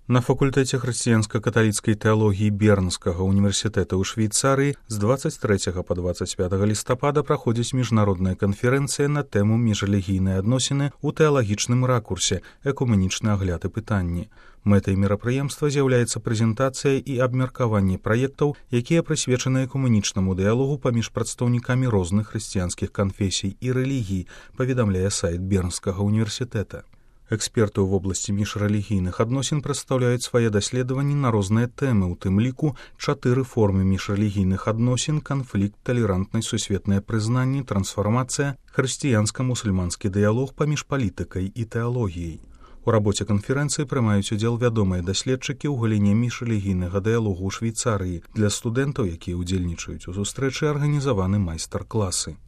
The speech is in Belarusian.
На факультэце хрысціянска-каталіцкай тэалогіі Бернскага універсітэта ў Швейцарыі з 23 па 25 лістапада праходзіць міжнародная канферэнцыя на тэму міжрэлігійныя адносіны ў тэалагічным ракурсе, экуменічны агляд і пытанні. Мэтай мерапрыемства з'яўляецца прэзентацыя і абмеркаванне праектаў, якія прысвечаны экуменічнаму дыялогу паміж прадстаўнікамі розных хрысціянскіх канфесій і рэлігій, паведамляе сайт Бернскага універсітэта. Эксперты ў вобласці міжрэлігійных адносін прадстаўляюць свае даследаванні на розныя тэмы, у тым ліку 4 формы міжрэлігійных адносін: канфлікт, талерантнасць, сусветнае прызнанне, трансфармацыя, хрысціянска-мусульманскі дыялог паміж палітыкай і тэалогіяй. У рабоце канферэнцыі прымаюць удзел вядомыя даследчыкі ў галіне міжрэлігійнага дыялогу ў Швейцарыі. Для студэнтаў, якія ўдзельнічаюць у сустрэчы, арганізаваны майстар-класы.